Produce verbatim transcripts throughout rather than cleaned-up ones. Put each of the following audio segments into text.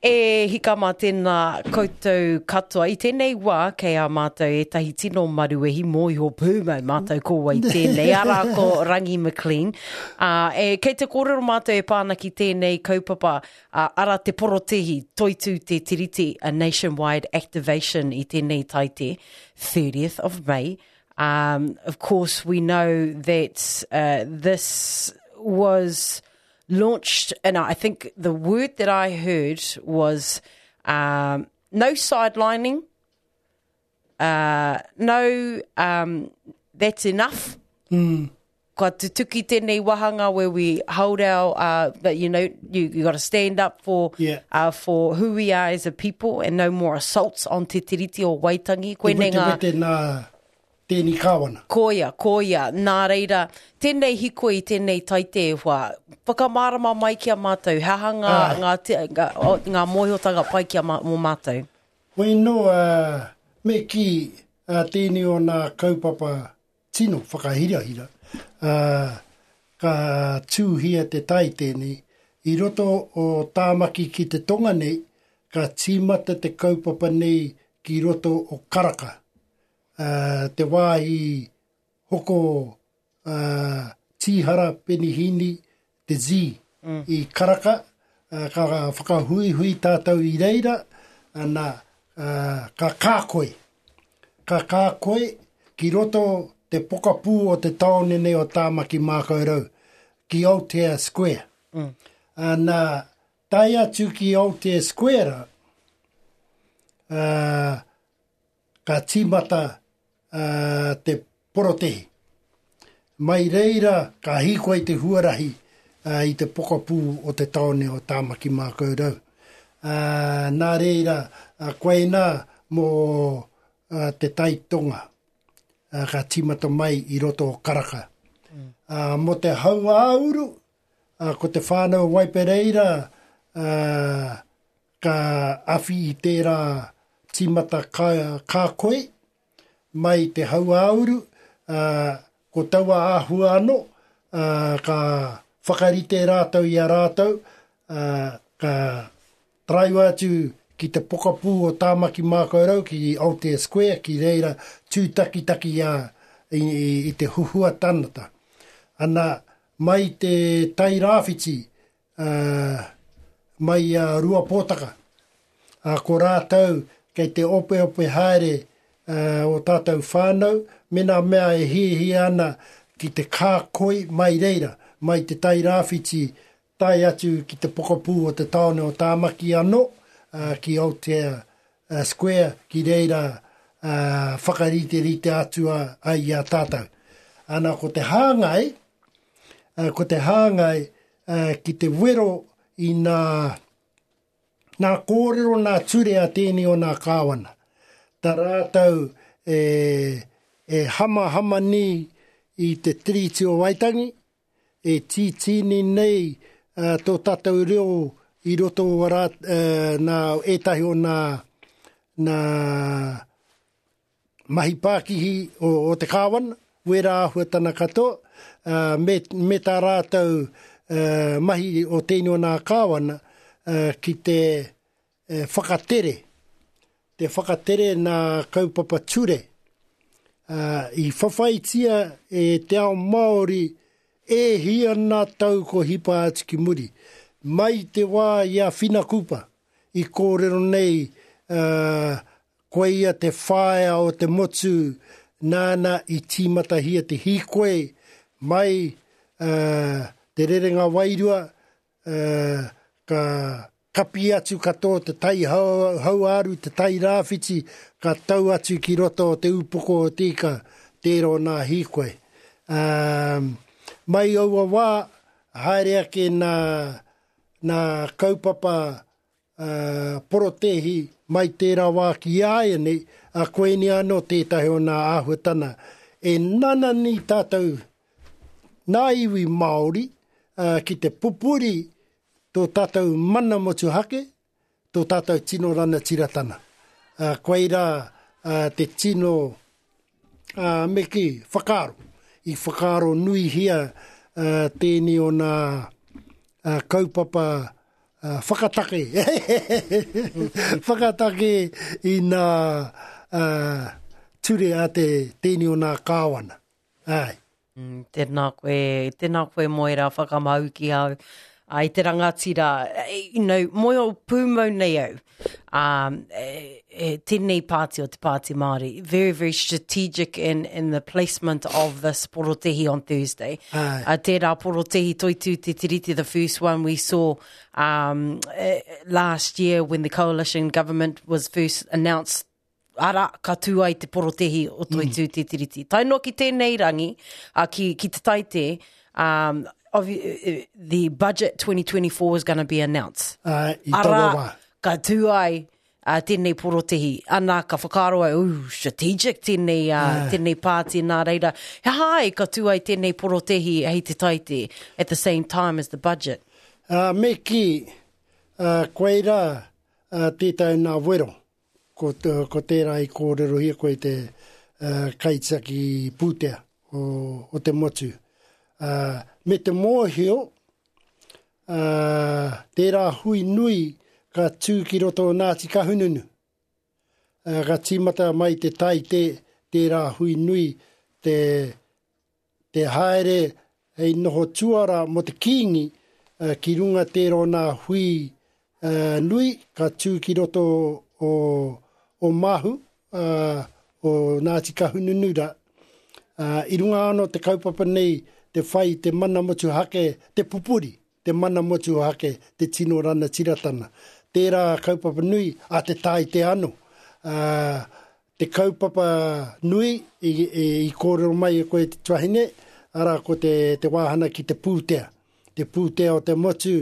E hika mā tēnā koutou katoa. I tēnei wā, kei a mātou ētahi tino maruwehi mōhio pūmau mātou ko wai tēnei. Arā ko Rangi McLean. Uh, e, kei te kōrero mātou e pā ana ki tēnei kaupapa, uh, ara te porotehi, toitū te tiriti, a nationwide activation i tēnei taite, thirtieth of May. Um, of course, we know that uh, this was launched, and I think the word that I heard was um, no sidelining, uh, no, um, that's enough. Mm. Kua tutuki tēnei wahanga where we hold our, uh, that, you know, you, you got to stand up for, Yeah. uh, for who we are as a people and no more assaults on Te Tiriti o Waitangi. Te Koinei wete ngā wete nā tēni kāwana. Koia, koia, nā reira, tēnei hikoi, tēnei taite e hoa, whakamārama mai ki a mātou, he aha ngā, Ai. ngā, te, ngā, o, ngā mōhiotanga pai ki a mā, mō mātou? Hoi nō, uh, me ki uh, tēnei o nā kaupapa tino whakahirahira, uh, ka tūhia te tai tēnei, i roto o Tāmaki ki te tonga nei, ka tīmata te kaupapa nei ki roto o Karaka. Uh, te wāhi hoko uh, tīhara penihini te Z mm. i Karaka, uh, ka whakahuihui tātou i reira, ana, uh, ka kākoi. Ka kākoi ki roto te pokapū o te taone nei o Tāmaki Mākaurau, ki Aotea Square. Mm. Ana, tae atu ki Aotea Square, uh, ka tīmata uh, te porotehi. Mai reira ka hīkoi te huarahi uh, i te pokapū o te taone o Tāmaki Mākaurau. Uh, nā reira, uh, koinā mō uh, te taitonga uh, ka tīmata mai i roto o Karaka. Mm. Uh, mō te hauāuru, uh, ko te whānau Waipereira uh, ka awhi i tērā tīmata ka, kākoi mai te hauāuru, uh, ko taua āhua anō, uh, ka whakarite rātou i a rātou, uh, ka taraiwa atu ki te pokapū o Tāmaki Mākaurau, ki Aotea Square, ki reira tūtakitaki a, i, i, i te huhua tangata. Ana, mai te tai rāwhiti, uh, mai a Ruapōtaka, uh, ko rātou kei te ope ope haere uh, o tātou whānau, me nā mea e hihia ana ki te kākoi mai reira, mai te tai rāwhiti, tae atu ki te pokapū o te taone o Tāmaki anō, uh, ki Aotea uh, Square, ki reira uh, whakariterite atu a, ai i a tātou. Ana ko te hāngai, uh, ko te hāngai uh, ki te wero i nā, nā kōrero nā ture a tēnei o nā kāwana. Tā rātou e, e hamahama ni i te Tiriti o Waitangi, e tītīni nei uh, tō tātou reo i roto o rā, uh, nā ētahi o nā, nā mahi pākihi o, o te kāwana, wera āhuatana katoa, uh, me, me tā rātou uh, mahi o tēnei o nā kāwana uh, ki te uh, whakatere, te whakatere nā kaupapa ture. Uh, i whawhaitia e te ao Māori e hia nā tau ko hipa atu ki muri. Mai te wā i a Whina Kupa, i kōrero nei, uh, koia te whaea o te motu nāna i tīmatahia te hīkoi mai uh, te rerenga wairua, uh, ka kapi atu katoa te tai hau, hauāru, te tai rāwhiti, ka tau atu ki roto o te upoko o te ika, tērā o nā hīkoi. Um, mai aua wā, haere ake nā, nā kaupapa uh, porotehi mai tērā wā ki aia nei, a koeni anō tētahi o nā āhuatana. E nanani tātou nā iwi Māori uh, ki te pupuri tō tātou mana motuhake, tō tātou tino ranatiratana. Uh, koirā uh, te tino uh, me ki whakaaro. I whakaaro nuihia uh, tēnei o nā uh, kaupapa uh, whakatake. Whakatake i nā uh, ture a te tēni o nā kāwana. Ai. Mm, tēnā koe, tēnā koe mō ērā whakamau ki au. Ai te rangatira, you know, mōhio pūmau nei au. Um, e, e, tēnei pāti o te Pāti Māori, very, very strategic in, in the placement of this porotehi on Thursday. Ai. Uh, tērā porotehi toitū te tiriti, the first one we saw um, eh, last year when the coalition government was first announced ara, ka tū ai te porotehi o Toitū mm. Te Tiriti. Tae noa ki tēnei rangi, uh, ki, ki te taite, um, of, uh, the budget twenty twenty-four is gonna be announced. Uh, i taua Ara, wā. ka tū ai uh, tēnei porotehi. Ana, ka whakaaro ai, ooh, strategic tēnei, uh, tēnei pāti nā reira. He hai, ka tū ai tēnei porotehi hei te taite at the same time as the budget. Uh, me ki, uh, koe rā uh, tētai nā wero. Ko, ko tērā i kōrerohia koe te uh, kaitiaki pūtea o, o te motu. Uh, me te mōhio, uh, tērā hui nui ka tū ki roto o Ngāti Kahungunu. Uh, ka tīmata mai te tai te, tērā hui nui te, te haere hei noho tuara mo te kīngi, uh, ki runga tērā nā hui uh, nui ka tū ki roto o, o Mahu, uh, o Ngāti Kahungunu rā. Uh, i runga anō te kaupapa nei te whai te mana motuhake, te pupuri, te mana motuhake, te tino ranatiratana. Tērā kaupapa nui a te tai te anō. Uh, te kaupapa nui i, i, i kōrero mai e koe te tuahine, ara ko te, te wāhana ki te pūtea. Te pūtea o te motu,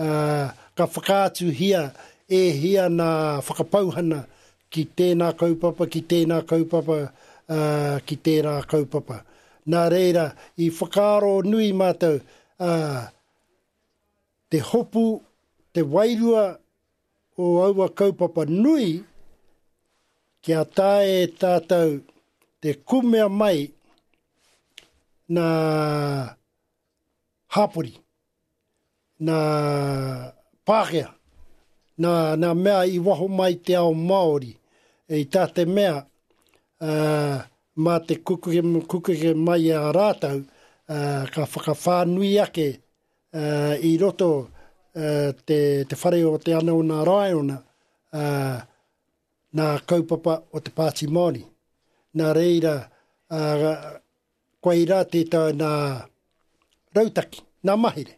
uh, ka whakaatuhia e hia nā whakapauhana ki tēnā kaupapa, ki tēnā kaupapa, uh, ki tērā kaupapa. Nā reira, i whakaaro nui mātou, uh, te hopu, te wairua o aua kaupapa nui, kia tae tātou te kumea mai nā hāpori, nā Pākehā, nā, nā mea i waho mai te ao Māori, e i tā te mea, uh, mā te kukuke, kukuke mai a rātou, uh, ka whakawhānui ake, uh, i roto, uh, te, te whare o te ana o nā raiona, uh, nā kaupapa o te Pāti Māori. Nā reira, uh, koe rā tētau nā rautaki, nā mahere,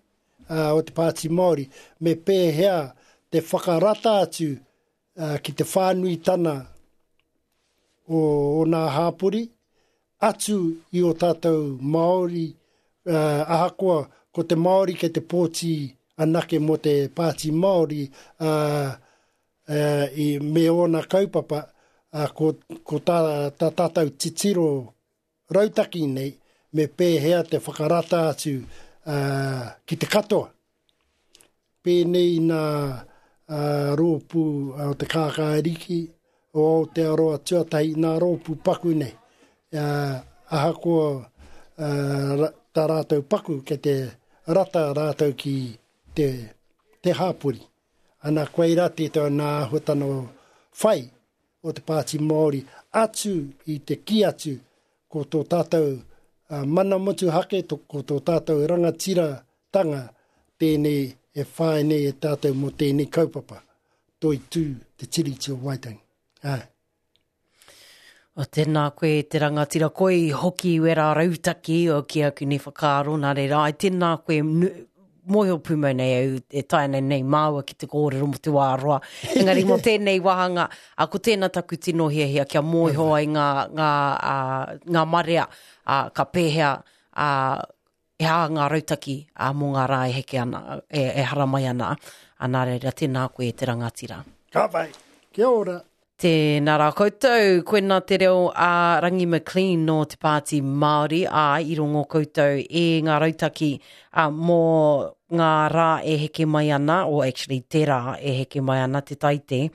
uh, o te Pāti Māori, me pēhea te whakarata atu, uh, ki te whānuitana o, o nā hāpori, atu i o tātou Māori, uh, ahakoa ko te Māori kei te pōti anake mō te Pāti Māori, uh, uh, i, me ōna kaupapa, uh, ko, ko tā, tā tātou titiro rautaki nei, me pēhea te whakarata atu, uh, ki te katoa. Pēnei nā, uh, rōpū o te Kākāriki, o Aotearoa tuatahi, nā rōpū paku nei. Uh, ahakoa, uh, ra-, tā rātou paku, kei te rata rātou ki te, te hāpori. Ana koe rā tētau nā āhuatana o whai o te Pāti Māori atu i te ki atu ko tō tātou, uh, mana motuhake, to, ko tō tātou rangatiratanga tēnei e whai nei e tātou mō tēnei kaupapa. Toitū te Tiriti o Waitangi. Ai. O tēnā koe te rangatira, koe i hoki wera rautaki o ki aku nei whakaaro nā reira. Ai, tēnā koe nu, mōhio pūmau nei au e tae nei nei māua ki te kōrero mō te wā roa. Engari mō tēnei wāhanga, a, ko tēnā taku tino hiahia kia mōhio ai ngā, ngā, a, ngā marea, a, ka pēhea, a, e hā ngā rautaki, a, mō ngā rā e heke ana, e, e haramai ana. A, nā reira, tēnā koe te rangatira. Ka pai, kia ora. Tēnā rā koutou, koena te reo a Rangi McLean no te Pāti Māori, a i rongo koutou e ngā rautaki, a, mō ngā rā e heke mai ana, o actually te rā e heke mai ana te taite.